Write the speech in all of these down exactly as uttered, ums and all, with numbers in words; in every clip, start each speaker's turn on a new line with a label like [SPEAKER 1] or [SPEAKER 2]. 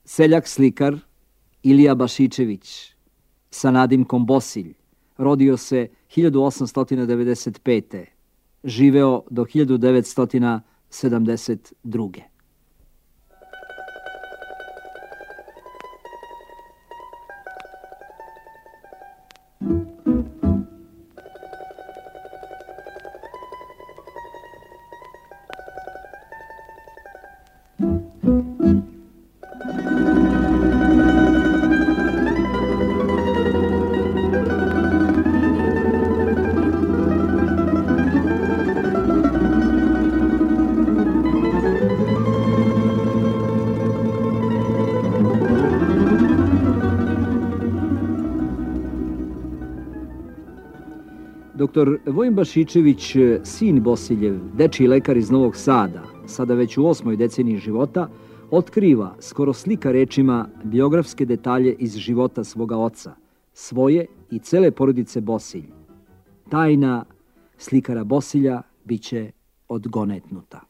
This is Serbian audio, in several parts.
[SPEAKER 1] Seljak slikar Ilija Bašičević sa nadimkom Bosilj rodio se hiljadu osamsto devedeset pete. Živeo do hiljadu devetsto sedamdeset druge. Doktor Vojin Bašičević, sin Bosiljev, dečiji lekar iz Novog Sada, sada već u osmoj deceniji života, otkriva skoro slika rečima biografske detalje iz života svoga oca, svoje i cele porodice Bosilj. Tajna slikara Bosilja biće odgonetnuta.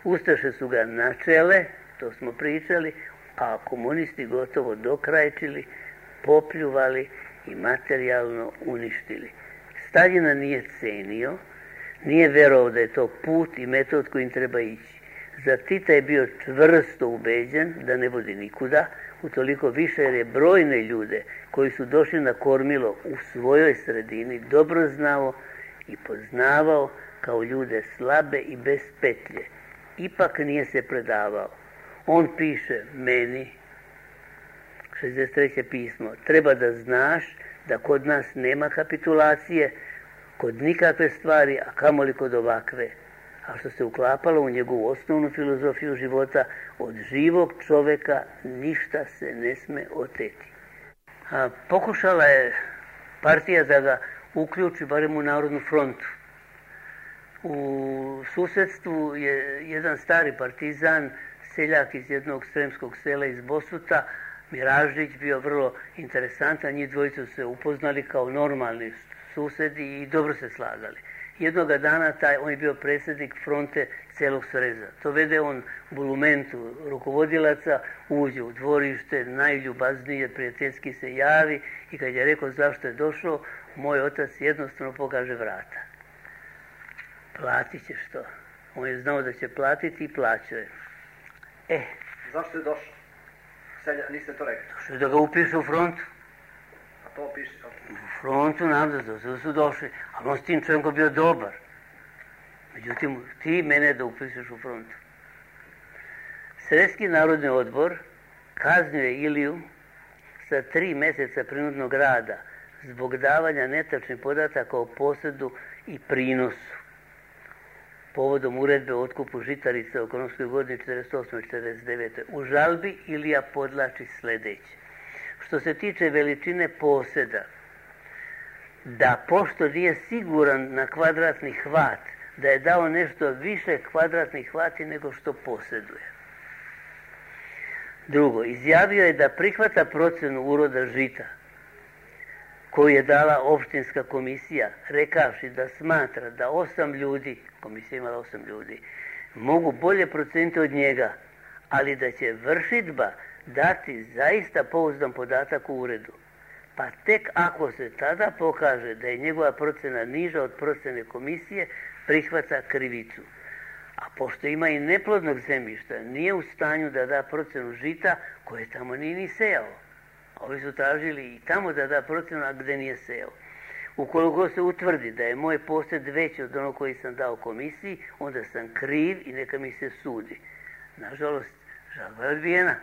[SPEAKER 2] Ustaše su ga načele, to smo pričali, a komunisti gotovo dokrajčili, popljuvali i materijalno uništili. Staljina nije cenio, nije verovao da je to put i metod kojim treba ići. Za Tita je bio čvrsto ubeđen da ne vodi nikuda, utoliko više jer je brojne ljude koji su došli na kormilo u svojoj sredini dobro znao i poznavao kao ljude slabe i bez petlje. Ipak nije se predavao. On piše meni, šezdeset treće pismo, treba da znaš da kod nas nema kapitulacije, kod nikakve stvari, a kamoli kod ovakve. A što se uklapalo u njegovu osnovnu filozofiju života, od živog čoveka ništa se ne sme oteti. A pokušala je partija da ga uključi barem u Narodnu frontu. U susedstvu je jedan stari partizan, seljak iz jednog sremskog sela iz Bosuta, Miražić, bio vrlo interesantan, njih dvojica su se upoznali kao normalni susedi i dobro se slagali. Jednoga dana taj, on je bio predsjednik fronte celog Sreza. To vede on bulumentu rukovodilaca, uđe u dvorište, najljubaznije, prijateljski se javi i kad je rekao zašto je došao, moj otac jednostavno pokaže vrata. Platit ćeš to. On je znao da će platiti i plaćao je. E.
[SPEAKER 3] Zašto je došao? Selja, niste to rekli.
[SPEAKER 2] Došao da ga upiše u frontu.
[SPEAKER 3] A to piše?
[SPEAKER 2] U frontu nam da, da su došli. Ali on s tim čovjekom bio dobar. Međutim, ti mene da upišeš u frontu. Sredski narodni odbor kaznio je Iliju sa tri mjeseca prinudnog rada zbog davanja netačnih podataka o posjedu i prinosu. Povodom uredbe o otkupu žitarica u ekonomskoj godini četrdeset osme i četrdeset devete. U žalbi Ilija podlači sljedeće. Što se tiče veličine posjeda, da pošto nije siguran na kvadratni hvat, da je dao nešto više kvadratnih hvati nego što posjeduje. Drugo, izjavio je da prihvata procenu uroda žita koju je dala opštinska komisija, rekavši da smatra da osam ljudi, komisija imala osam ljudi, mogu bolje proceniti od njega, ali da će vršidba dati zaista pouzdan podatak u uredu. Pa tek ako se tada pokaže da je njegova procena niža od procene komisije, prihvata krivicu. A pošto ima i neplodnog zemljišta, nije u stanju da da procenu žita koje tamo nije ni sejao. Ovi su tražili i tamo da da procenu, a gde nije sejao. Ukoliko se utvrdi da je moj posjed veći od onog koji sam dao komisiji, onda sam kriv i neka mi se sudi. Nažalost, žalba je odbijena.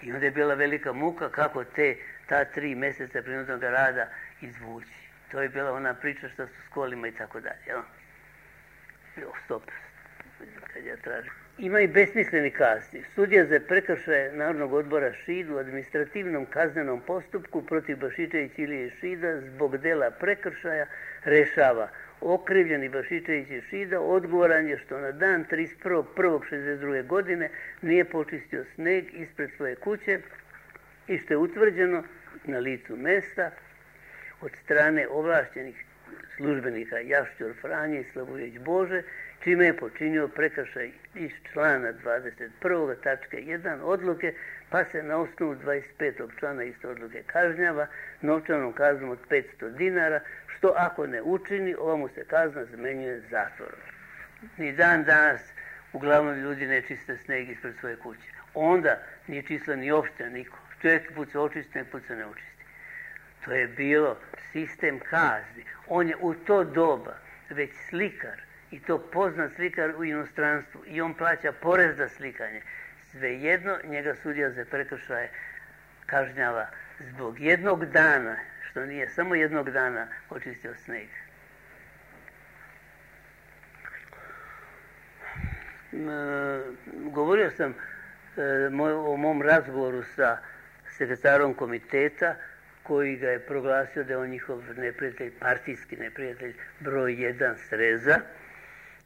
[SPEAKER 2] I onda je bila velika muka kako te, ta tri mjeseca prinudnog rada izvući. To je bila ona priča što su s kolima i tako dalje. Jel? Jo, stop. Kad ja tražim. Ima i besmisleni kazni. Sudija za prekršaje Narodnog odbora Šid u administrativnom kaznenom postupku protiv Bašičević Ilije Šida zbog dela prekršaja rešava. Okrivljeni Bašičević i Šida odgovoran je što na dan trideset prvog prvog šezdeset druge godine nije počistio sneg ispred svoje kuće i što je utvrđeno na licu mesta od strane ovlašćenih službenika Jašćor Franje i Slavujević Bože čime je počinio prekršaj iz člana dvadeset prvog tačke jedan odluke, pa se na osnovu dvadeset petog člana iste odluke kažnjava novčanom kaznom od petsto dinara, što ako ne učini, ova mu se kazna zamenjuje zatvorom. Ni dan danas uglavnom ljudi ne čiste sneg ispred svoje kuće. Onda nije čistila ni opština niko. Čovjek put se očisti, nek put se ne očisti. To je bilo sistem kazni. On je u to doba već slikar, i to poznat slikar u inostranstvu, i on plaća porez za slikanje. Svejedno njega sudija za prekršaje kažnjava zbog jednog dana, što nije samo jednog dana očistio sneg. Govorio sam o mom razgovoru sa sekretarom komiteta, koji ga je proglasio da je on njihov neprijatelj, partijski neprijatelj broj jedan Sreza,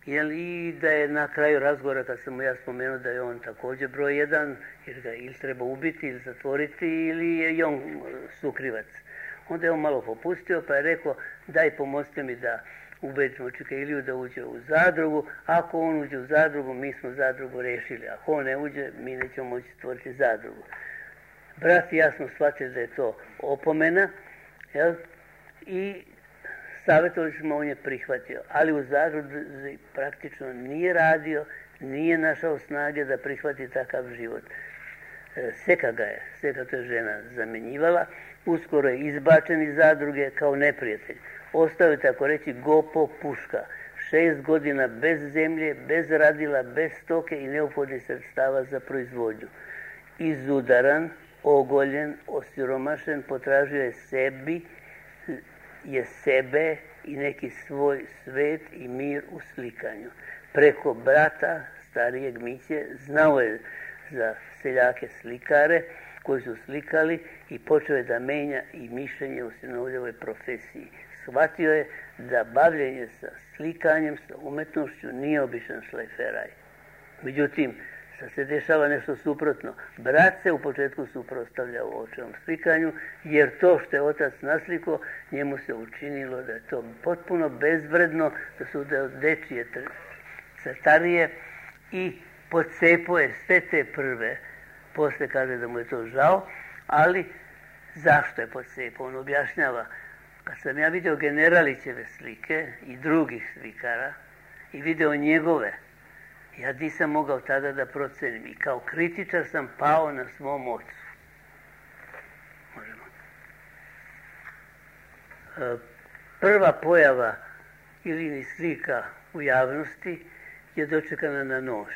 [SPEAKER 2] jel, i da je na kraju razgovora, kad sam mu ja spomenuo da je on također broj jedan, jer ga ili treba ubiti ili zatvoriti, ili je i on sukrivac. Onda je on malo popustio, pa je rekao, daj pomozite mi da ubedimo Čika Iliju da uđe u zadrugu. Ako on uđe u zadrugu, mi smo zadrugu rešili. Ako on ne uđe, mi nećemo moći stvoriti zadrugu. Brat i ja smo shvatili da je to opomena, jel? I savjetovali smo, on je prihvatio. Ali u zadruzi praktično nije radio, nije našao snage da prihvati takav život. Seka ga je, Seka to je žena zamjenjivala, uskoro je izbačen iz zadruge kao neprijatelj. Ostao je, tako reći, gopo puška. Šest godina bez zemlje, bez radila, bez stoke i neophodnih sredstava za proizvodnju. Izudaran, ogoljen, osiromašen, potražio je sebi, je sebe i neki svoj svet i mir u slikanju. Preko brata, starijeg Miće, znao je za seljake slikare koji su slikali i počeo je da menja i mišljenje u sinovljevoj profesiji. Shvatio je da bavljenje sa slikanjem, sa umetnošću nije običan šlajferaj. Međutim, sad se dešava nešto suprotno. Brat se u početku suprotstavljao očevom slikanju, jer to što je otac nasliko, njemu se učinilo da je to potpuno bezvredno, da su da dečije crtarije, i pocepo je sve te prve. Posle kaže da mu je to žao, ali zašto je pocepo? On objašnjava, kad sam ja vidio Generalićeve slike i drugih slikara i video njegove, ja nisam mogao tada da procenim i kao kritičar sam pao na svom ocu. Možemo. Prva pojava Ilinih slika u javnosti je dočekana na nož.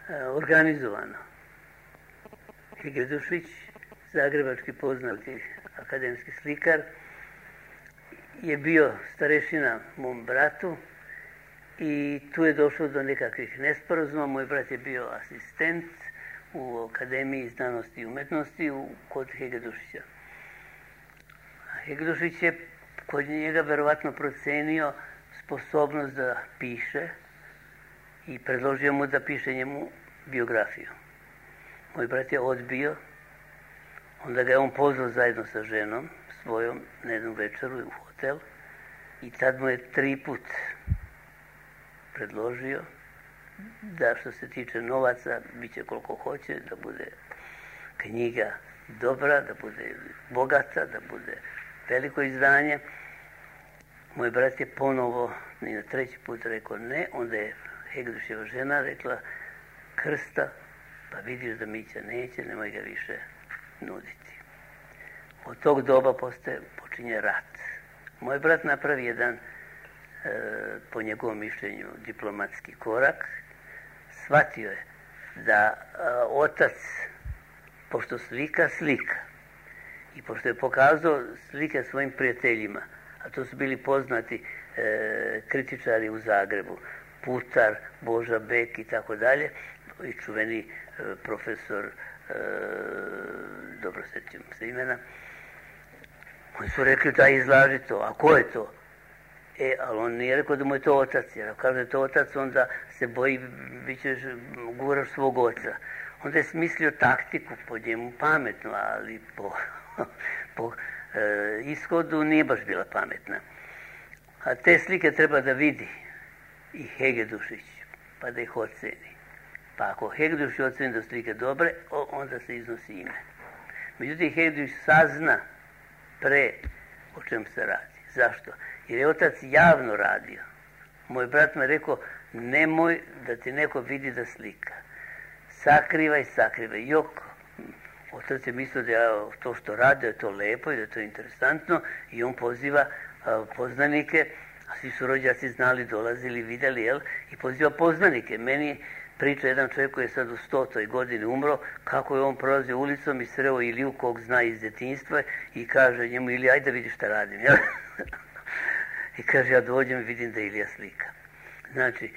[SPEAKER 2] Organizovano. Hegredušić, zagrebački poznati akademski slikar, je bio starešina mom bratu i tu je došlo do nekakvih nesporazuma. Moj brat je bio asistent u Akademiji znanosti i umetnosti kod Hegredušića. Hegredušić je kod njega verovatno procenio sposobnost da piše i predložio mu da piše njemu biografiju. Moj brat je odbio, onda ga je on pozvao zajedno sa ženom svojom na jednu večeru u hotel i tad mu je tri put predložio da što se tiče novaca bit će koliko hoće, da bude knjiga dobra, da bude bogata, da bude veliko izdanje. Moj brat je ponovo i na treći put rekao ne, onda je Hegreduševa žena rekla, Krsta, pa vidiš da Mića neće, nemoj ga više nuditi. Od tog doba postaje, počinje rat. Moj brat napravi jedan, e, po njegovom mišljenju, diplomatski korak. Shvatio je da e, otac, pošto slika, slika, i pošto je pokazao slike svojim prijateljima, a to su bili poznati e, kritičari u Zagrebu, Putar, Boža Bek i tako dalje, i čuveni e, profesor, e, dobro sjećam se imena, oni su rekli da izlaži to, a ko je to? E, ali on nije rekao da mu je to otac, jer ako kaže da je to otac, onda se boji, bit ćeš guraš svog oca. Onda je smislio taktiku, po njemu pametno, ali po, po e, ishodu nije baš bila pametna. A te slike treba da vidi i Hegedušić, pa da ih oceni. Pa ako Hegedušić oceni da su slike dobre, onda se iznosi ime. Međutim, Hegedušić sazna pre o čem se radi. Zašto? Jer je otac javno radio. Moj brat me rekao, nemoj da ti neko vidi da slika. Sakrivaj, sakrivaj. Jok, otac je mislio da je to što radi, da je to lepo i da je to interesantno i on poziva a, poznanike, a svi su rođaci znali, dolazili, vidjeli, jel? I poziva poznanike. Meni priča jedan čovjek koji je sad u stotoj godini umro, kako je on prolazio ulicom i sreo Iliju kog zna iz djetinjstva i kaže njemu, Ilija, ajde da vidiš šta radim, jel? I kaže, ja dođem i vidim da Ilija slika. Znači,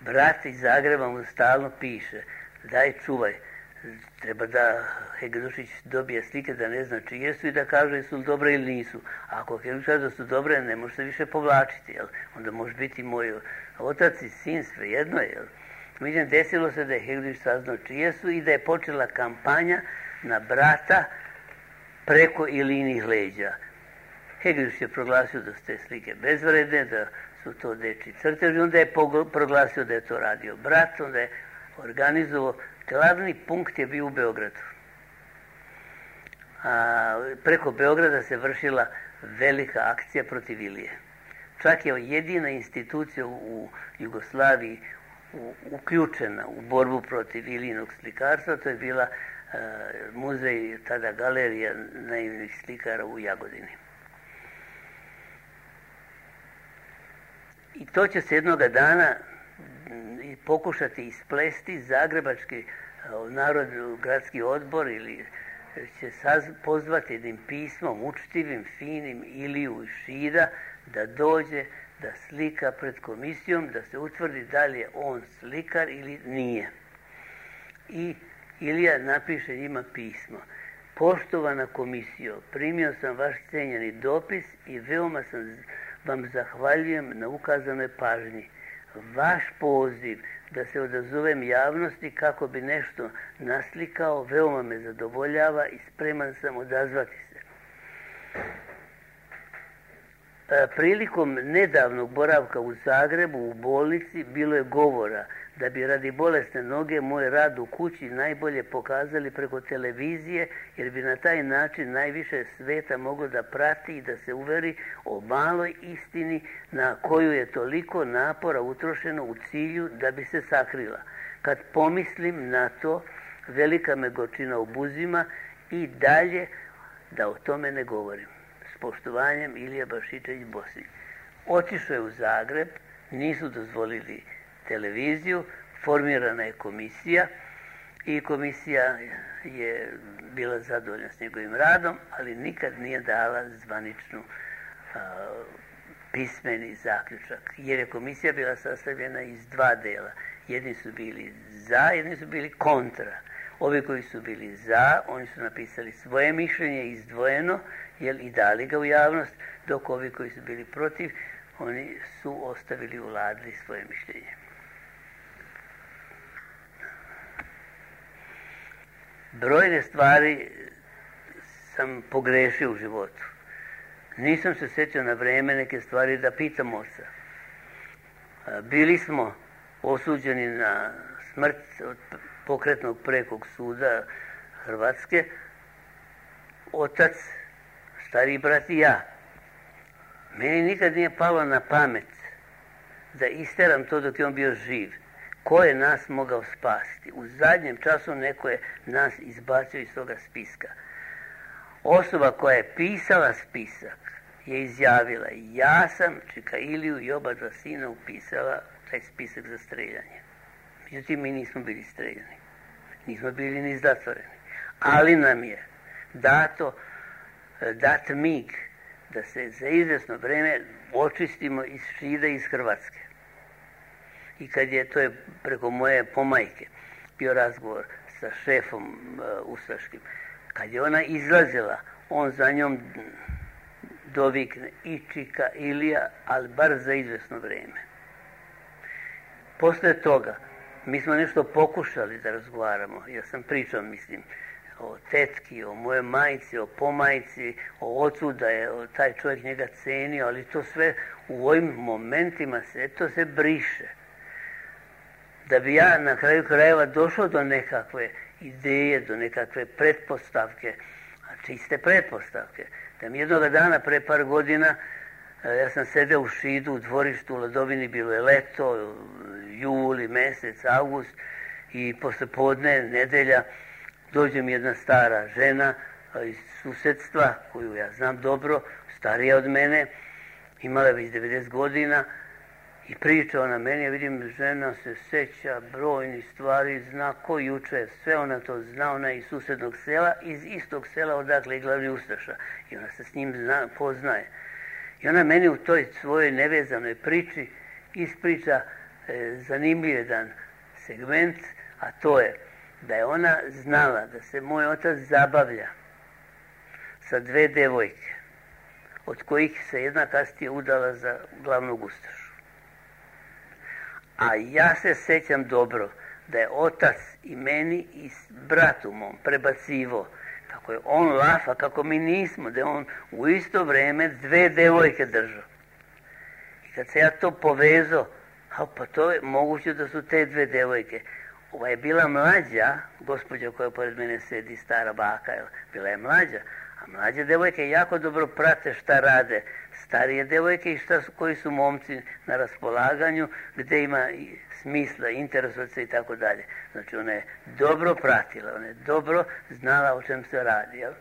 [SPEAKER 2] brat iz Zagreba mu stalno piše, daj čuvaj, treba da Hegedušić dobije slike da ne zna čije su i da kaže jesu li dobre ili nisu. A ako Hegedušić kaže da su dobre, ne može se više povlačiti, jel? Onda može biti moj otac i sin, svejedno, jel? Međutim, desilo se da je Hegedušić saznao čije su i da je počela kampanja na brata preko Ilinih leđa. Hegedušić je proglasio da su te slike bezvredne, da su to dečji crteži, onda je proglasio da je to radio brat, onda je organizovao, glavni punkt je bio u Beogradu. A, preko Beograda se vršila velika akcija protiv Ilije. Čak je jedina institucija u Jugoslaviji u, uključena u borbu protiv Ilijinog slikarstva, to je bila a, muzej, tada galerija naivnih slikara u Jagodini. I to će se jednoga dana pokušati isplesti. Zagrebački narodni gradski odbor ili će pozvati jednim pismom, učtivim, finim Iliju iz Šida da dođe, da slika pred komisijom, da se utvrdi da li je on slikar ili nije. I Ilija napiše njima pismo. Poštovana komisijo, primio sam vaš cijenjeni dopis i veoma sam vam zahvaljujem na ukazanoj pažnji. Vaš poziv da se odazovem javnosti kako bi nešto naslikao veoma me zadovoljava i spreman sam odazvati se. Prilikom nedavnog boravka u Zagrebu u bolnici bilo je govora da bi radi bolesne noge moj rad u kući najbolje pokazali preko televizije, jer bi na taj način najviše sveta moglo da prati i da se uveri o maloj istini na koju je toliko napora utrošeno u cilju da bi se sakrila. Kad pomislim na to, velika me gorčina obuzima i dalje da o tome ne govorim. S poštovanjem, Ilija Bašičević-Bosilj. Otišao je u Zagreb, nisu dozvolili televiziju, formirana je komisija i komisija je bila zadovoljna s njegovim radom, ali nikad nije dala zvaničnu a, pismeni zaključak, jer je komisija bila sastavljena iz dva dela. Jedni su bili za, jedni su bili kontra. Ovi koji su bili za, oni su napisali svoje mišljenje izdvojeno, jel, i dali ga u javnost, dok ovi koji su bili protiv, oni su ostavili u ladri svoje mišljenje. Brojne stvari sam pogrešio u životu. Nisam se sjećao na vreme neke stvari da pitam oca. Bili smo osuđeni na smrt od pokretnog prekog suda Hrvatske. Otac, stariji brat i ja. Meni nikad nije palo na pamet da isteram to dok je on bio živ. Ko je nas mogao spasiti? U zadnjem času neko je nas izbacio iz toga spiska. Osoba koja je pisala spisak je izjavila, ja sam Čika Iliju i oba dva sina upisala taj spisak za streljanje. Međutim, mi nismo bili streljani. Nismo bili ni zatvoreni. Ali nam je dato, dat mig da se za izvjesno vreme očistimo iz Šida i iz Hrvatske. I kad je, to je preko moje pomajke, bio razgovor sa šefom uh, ustaškim, kad je ona izlazila, on za njom dovikne i Čika Ilija, ali bar za izvjesno vrijeme. Posle toga, mi smo nešto pokušali da razgovaramo. Ja sam pričao, mislim, o tetki, o moje majci, o pomajci, o ocu, da je taj čovjek njega cenio, ali to sve u ovim momentima se, to se briše. da bi ja na kraju krajeva došao do nekakve ideje, do nekakve pretpostavke, čiste pretpostavke. Da mi jednoga dana pre par godina, ja sam sedeo u Šidu u dvorištu u Ladovini, bilo je leto, juli, mesec, avgust, i posle podne, nedelja, dođe mi jedna stara žena iz susedstva, koju ja znam dobro, starija od mene, imala je već devedeset godina, i priča ona meni, ja vidim, žena se seća brojnih stvari, zna ko juče, sve ona to zna, ona je iz susednog sela, iz istog sela odakle je glavni ustaša, i ona se s njim zna, poznaje. I ona meni u toj svojoj nevezanoj priči ispriča e, zanimljiv jedan segment, a to je da je ona znala da se moj otac zabavlja sa dve devojke, od kojih se jedna kasnije udala za glavnog ustašu. A ja se sećam dobro da je otac i meni i bratu mom prebacivo kako je on lafa, kako mi nismo, da je on u isto vreme dve devojke držao. I kad se ja to povezao, a pa to je moguće da su te dve devojke. Ova je bila mlađa, gospođa koja pored mene sedi, stara baka, bila je mlađa, a mlađe devojke jako dobro prate šta rade starije devojke i šta su, koji su momci na raspolaganju, gde ima smisla, interesovati se i tako dalje. Znači ona je dobro pratila, ona je dobro znala o čem se radi. Jel?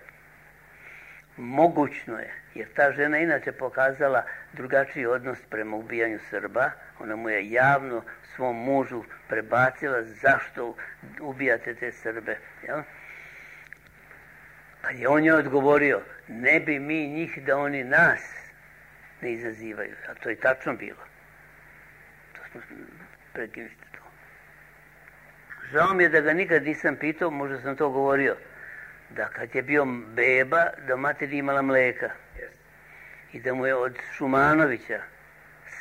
[SPEAKER 2] Mogućno je, jer ta žena inače pokazala drugačiji odnos prema ubijanju Srba. Ona mu je javno svom mužu prebacila zašto ubijate te Srbe. Jel? Kad je on joj odgovorio, ne bi mi njih da oni nas ne izazivaju. A to je tačno bilo. To smo prekinuli to. Žao mi je da ga nikad nisam pitao, možda sam to govorio, da kad je bio beba, da mater imala mleka. I da mu je od Šumanovića,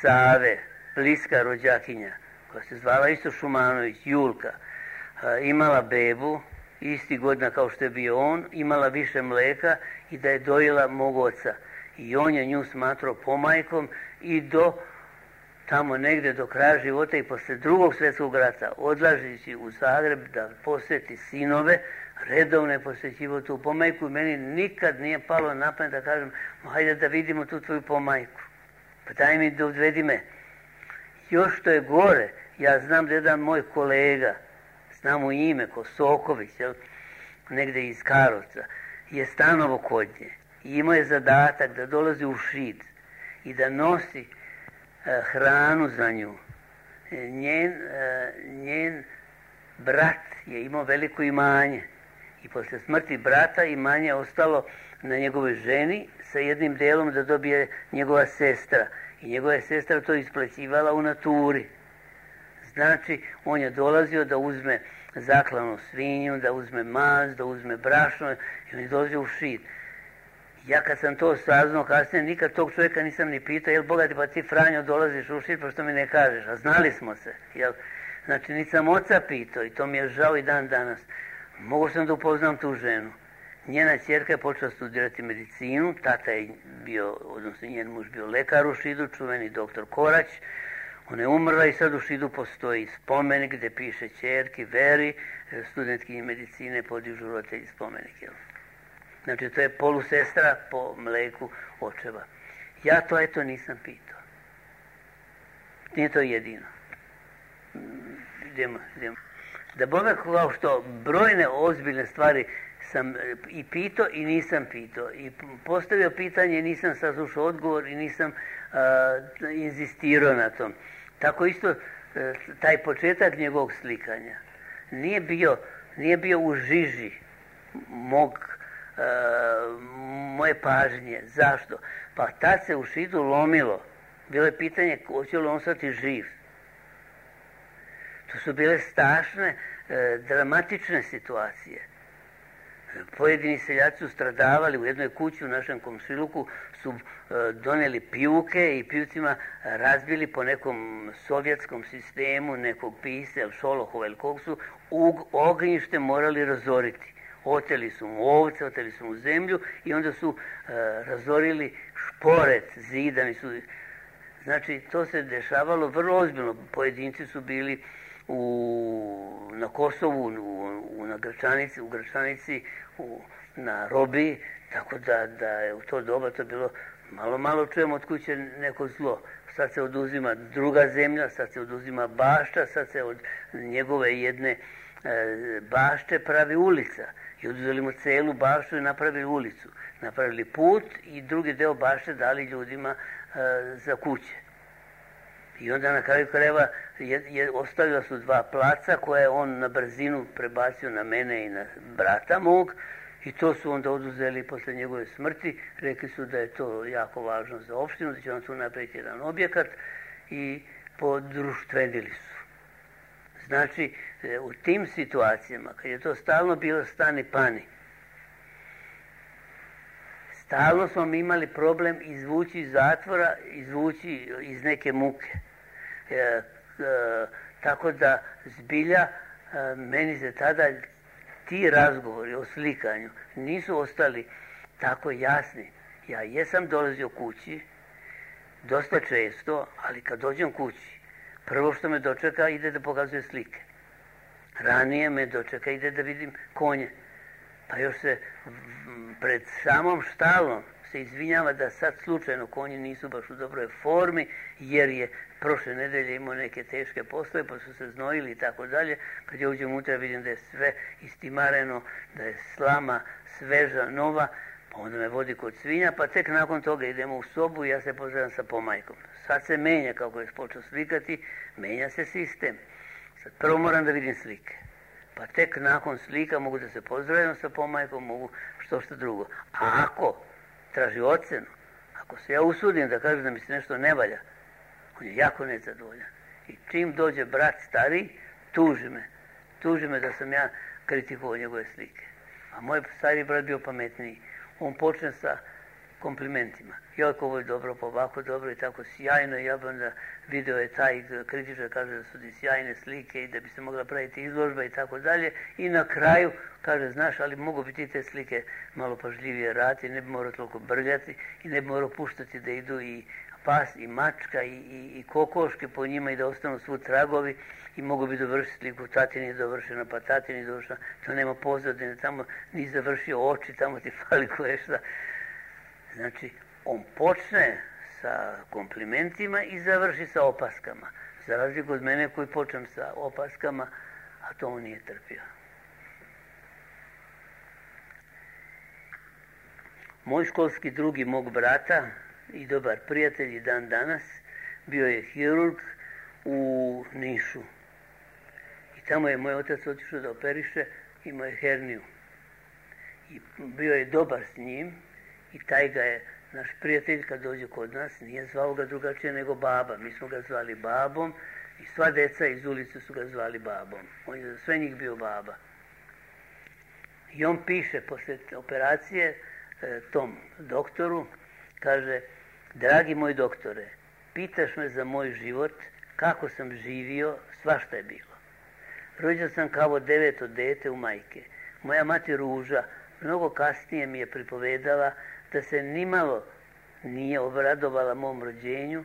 [SPEAKER 2] Save, bliska rođakinja, koja se zvala isto Šumanović, Julka, imala bebu, isti godina kao što je bio on, imala više mleka i da je dojela mog oca. I on je nju smatrao pomajkom i do tamo negde do kraja života i posle drugog svjetskog rata, odlažući u Zagreb da posjeti sinove, redovno je posjećivo tu pomajku i meni nikad nije palo na pamet da kažem, hajde da vidimo tu tvoju pomajku. Pa daj mi da odvedi me. Još što je gore, ja znam da jedan moj kolega, znam mu ime, ko Soković, jel, negde iz Karlovca, je stanovo kod nje. I imao je zadatak da dolazi u Šid i da nosi e, hranu za nju. E, njen, e, njen brat je imao veliko imanje i posle smrti brata imanje je ostalo na njegovoj ženi sa jednim delom da dobije njegova sestra. I njegova je sestra to isplaćivala u naturi. Znači, on je dolazio da uzme zaklanu svinju, da uzme maz, da uzme brašno i on je dolazio u Šid. Ja kad sam to saznao kasnije, nikad tog čovjeka nisam ni pitao, jel Boga ti pa ti Franjo dolaziš u Šid, pa što mi ne kažeš, a znali smo se, jel? Znači, nisam oca pitao i to mi je žao i dan danas. Mogu sam da upoznam tu ženu. Njena ćerka je počela studirati medicinu, tata je bio, odnosno njen muž bio lekar u Šidu, čuveni doktor Korać. Ona je umrla i sad u Šidu postoji spomenik gde piše ćerki Veri, studentkinji medicine podižu roditelji spomenik, jel? Znači, to je polusestra po mleku očeva. Ja to, eto, nisam pitao. Nije to jedino. Idemo, idemo. Da Boga, kao što brojne ozbiljne stvari sam i pitao i nisam pitao. I postavio pitanje i nisam saslušao odgovor i nisam uh, inzistirao na tom. Tako isto, uh, taj početak njegovog slikanja nije bio, nije bio u žiži mog Uh, moje pažnje. Zašto? Pa tad se u Šidu lomilo. Bilo je pitanje hoće li on ostati živ. To su bile strašne, uh, dramatične situacije. Pojedini seljaci su stradavali. U jednoj kući u našem komšiluku su uh, doneli pijuke i pivcima razbili po nekom sovjetskom sistemu nekog pisa, ili Šolohova, ili kog su u ognjište morali razoriti. Oteli su mu ovce, oteli su mu zemlju i onda su e, razorili šporet, zidani su. Znači, to se dešavalo vrlo ozbiljno. Pojedinci su bili u, na Kosovu, u, u, na Gračanici, u Gračanici, u, na Robi, tako da, da je u to doba to bilo, malo, malo čujemo od kuće neko zlo. Sad se oduzima druga zemlja, sad se oduzima bašta, sad se od njegove jedne e, bašte pravi ulica. I oduzeli mu celu baštu i napravili ulicu. Napravili put i drugi deo bašte dali ljudima e, za kuće. I onda na kraju krajeva je, je, ostavila su dva placa koje je on na brzinu prebacio na mene i na brata mog. I to su onda oduzeli posle njegove smrti. Rekli su da je to jako važno za opštinu, da će on tu napraviti jedan objekat i podruštvenili su. Znači, u tim situacijama, kad je to stalno bilo stani pani, stalno smo mi imali problem izvući iz zatvora, izvući iz neke muke. E, e, tako da zbilja e, meni se tada ti razgovori o slikanju nisu ostali tako jasni. Ja jesam dolazio kući dosta često, ali kad dođem kući, prvo što me dočeka ide da pokazuje slike. Ranije me dočeka ide da vidim konje. Pa još se pred samom štalom se izvinjava da sad slučajno konji nisu baš u dobroj formi, jer je prošle nedelje imao neke teške poslove, pa su se znojili i tako dalje. Kad ja uđem unutra vidim da je sve istimareno, da je slama sveža, nova, pa onda me vodi kod svinja, pa tek nakon toga idemo u sobu i ja se pozdravim sa pomajkom. Sad se menja, kako je počeo slikati, menja se sistem. Sad prvo moram da vidim slike. Pa tek nakon slika mogu da se pozdravim sa pomajkom, mogu što što drugo. A ako traži ocenu, ako se ja usudim da kažem da mi se nešto ne valja, on je jako nezadovoljan. I čim dođe brat stari, tuži me. Tuži me da sam ja kritikovao njegove slike. A moj stari brat bio pametniji. On počne sa komplimentima. Jako ovo je dobro, pa ovako dobro i tako sjajno. Ja bi onda video je taj kritičar kaže da su ti sjajne slike i da bi se mogla praviti izložba i tako dalje. I na kraju kaže, znaš, ali mogu bi ti te slike malo pažljivije raditi, ne bi morao toliko brljati i ne bi morao puštati da idu i pas i mačka i, i, i kokoške po njima i da ostanu svu tragovi i mogu bi dovršiti sliku, tatin je dovršena, pa tatin je dovršena, to nema pozadine, tamo nisi završio oči, tamo ti fali koje šta. Znači, on počne sa komplimentima i završi sa opaskama. Za razliku od mene koji počnem sa opaskama, a to on nije trpio. Moj školski drugi mog brata i dobar prijatelj i dan danas bio je hirurg u Nišu. I tamo je moj otac otišao da operiše, imao je herniju. I bio je dobar s njim i taj ga je, naš prijatelj kad dođe kod nas, nije zvao ga drugačije nego baba. Mi smo ga zvali babom i sva deca iz ulice su ga zvali babom. On je za sve njih bio baba. I on piše posle operacije e, tom doktoru, kaže, dragi moj doktore, pitaš me za moj život, kako sam živio, svašta je bilo. Rođen sam kao deveto dete u majke. Moja mati Ruža mnogo kasnije mi je pripovedala da se nimalo nije obradovala mom rođenju,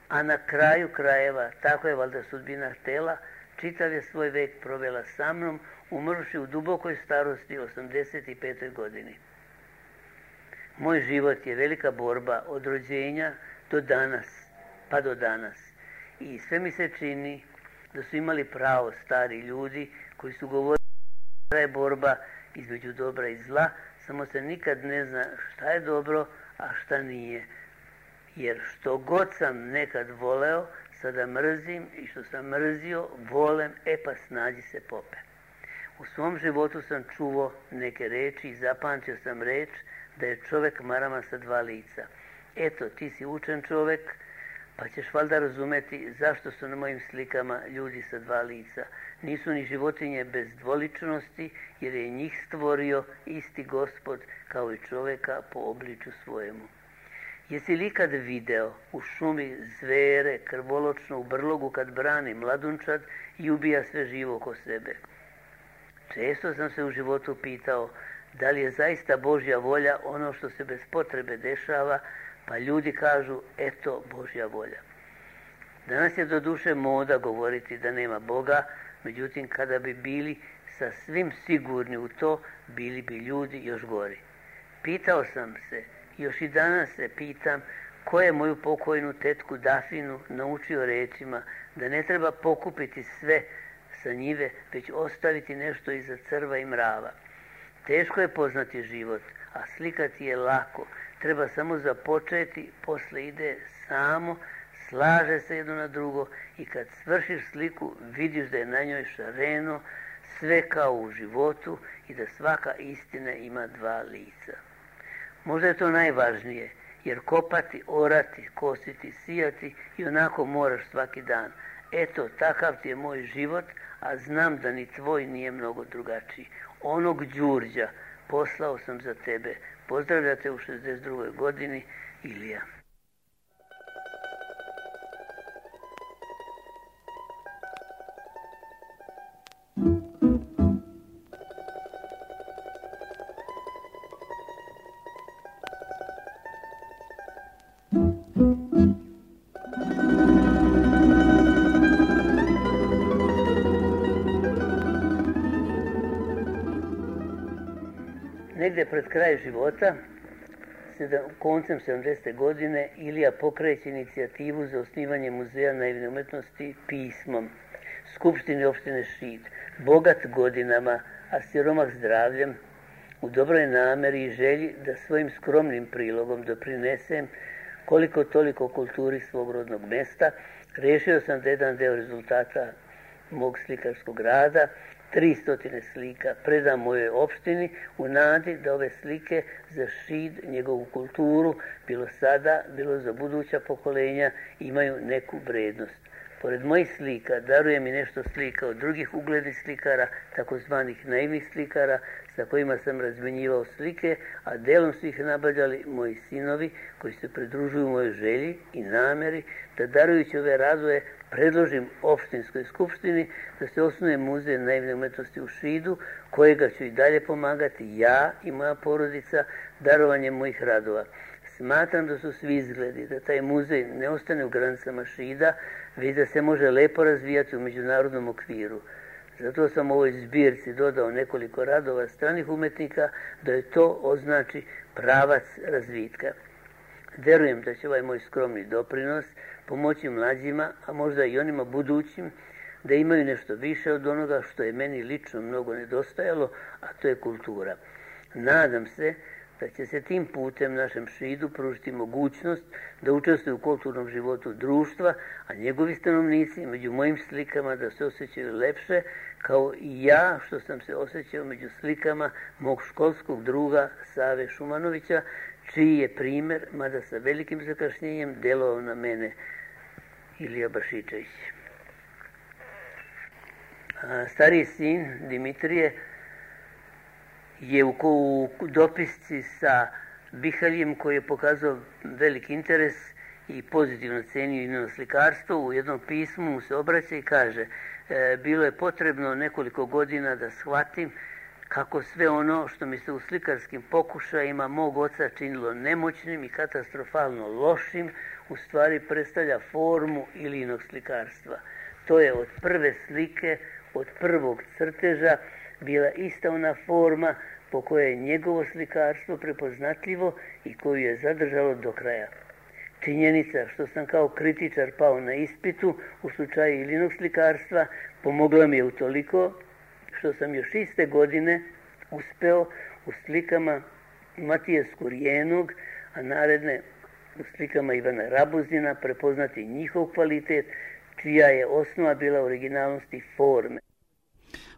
[SPEAKER 2] a na kraju krajeva, tako je valjda sudbina htela, čitav je svoj vek provela sa mnom, umrši u dubokoj starosti osamdeset petoj godini. Moj život je velika borba od rođenja do danas, pa do danas. I sve mi se čini da su imali pravo stari ljudi koji su govorili da je borba između dobra i zla, samo se nikad ne zna šta je dobro, a šta nije. Jer što god sam nekad voleo, sada mrzim i što sam mrzio, volem, e pa snađi se pope. U svom životu sam čuo neke reči i zapamtio sam reč da je čovek marama sa dva lica. Eto, ti si učen čovek, pa ćeš valjda razumeti zašto su na mojim slikama ljudi sa dva lica. Nisu ni životinje bez dvoličnosti, jer je njih stvorio isti Gospod kao i čoveka po obliču svojemu. Jesi li ikad video u šumi zvere krvoločno u brlogu kad brani mladunčad i ubija sve živo oko sebe? Često sam se u životu pitao da li je zaista Božja volja ono što se bez potrebe dešava, pa ljudi kažu, eto Božja volja. Danas je doduše moda govoriti da nema Boga, međutim kada bi bili sa svim sigurni u to, bili bi ljudi još gori. Pitao sam se, još i danas se pitam, ko je moju pokojnu tetku Dafinu naučio rečima da ne treba pokupiti sve sa njive, već ostaviti nešto iza crva i mrava. Teško je poznati život, a slikati je lako. Treba samo započeti, posle ide samo, slaže se jedno na drugo i kad svršiš sliku vidiš da je na njoj šareno, sve kao u životu i da svaka istina ima dva lica. Možda je to najvažnije, jer kopati, orati, kositi, sijati i onako moraš svaki dan. Eto, takav ti je moj život, a znam da ni tvoj nije mnogo drugačiji. Onog Đurđa poslao sam za tebe. Pozdravljate u šezdeset drugoj godini, Ilija. Negde pred kraj života, koncem sedamdesete godine, Ilija pokreće inicijativu za osnivanje muzeja naivne umetnosti pismom. Skupštini opštine Šid, bogat godinama, a siromah zdravljem, u dobroj nameri i želji da svojim skromnim prilogom doprinesem koliko toliko kulturi svog rodnog mesta, rešio sam da jedan deo rezultata mog slikarskog rada, tristo slika, predam mojoj opštini u nadi da ove slike za Šid, njegovu kulturu, bilo sada, bilo za buduća pokolenja, imaju neku vrednost. Pored mojih slika darujem i nešto slika od drugih uglednih slikara, takozvanih naivnih slikara, sa kojima sam razmenjivao slike, a delom su ih nabavljali moji sinovi koji se pridružuju mojoj želji i nameri da darujući ove radove predložim opštinskoj skupštini da se osnuje muzej naivne umetnosti u Šidu, kojega ću i dalje pomagati ja i moja porodica darovanjem mojih radova. Smatram da su svi izgledi da taj muzej ne ostane u granicama Šida, već da se može lepo razvijati u međunarodnom okviru. Zato sam u ovoj zbirci dodao nekoliko radova stranih umetnika da je to označi pravac razvitka. Verujem da će ovaj moj skromni doprinos pomoći mlađima, a možda i onima budućim, da imaju nešto više od onoga što je meni lično mnogo nedostajalo, a to je kultura. Nadam se da će se tim putem našem Šidu pružiti mogućnost da učestvuju u kulturnom životu društva, a njegovi stanovnici među mojim slikama da se osjećaju lepše, kao i ja što sam se osjećao među slikama mog školskog druga Save Šumanovića, čiji je primer, mada sa velikim zakašnjenjem, delovao na mene, Ilija Bašičević. A stariji sin, Dimitrije, je u, u dopisci sa Bihaljem, koji je pokazao veliki interes i pozitivno cenio i slikarstvo, u jednom pismu mu se obraća i kaže e, bilo je potrebno nekoliko godina da shvatim kako sve ono što mi se u slikarskim pokušajima mog oca činilo nemoćnim i katastrofalno lošim, u stvari predstavlja formu Ilijinog slikarstva. To je od prve slike, od prvog crteža bila ista ona forma po kojoj je njegovo slikarstvo prepoznatljivo i koju je zadržalo do kraja. Činjenica što sam kao kritičar pao na ispitu u slučaju Ilijinog slikarstva pomogla mi je utoliko što sam još iste godine uspeo u slikama Matije Skurjenog, a naredne u slikama Ivana Rabuzina prepoznati njihov kvalitet, čija je osnova bila originalnosti forme.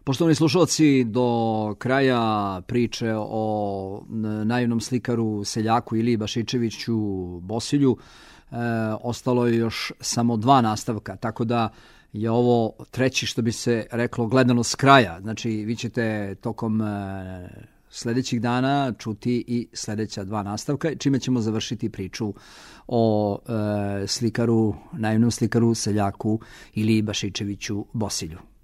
[SPEAKER 1] Poštovani slušalci, do kraja priče o naivnom slikaru, seljaku Iliji Bašičeviću Bosilju e, ostalo je još samo dva nastavka, tako da je ovo treći, što bi se reklo, gledano s kraja. Znači, vi ćete tokom e, sljedećih dana čuti i sljedeća dva nastavka, čime ćemo završiti priču o e, slikaru, naivnom slikaru, seljaku Iliji Bašičeviću Bosilju.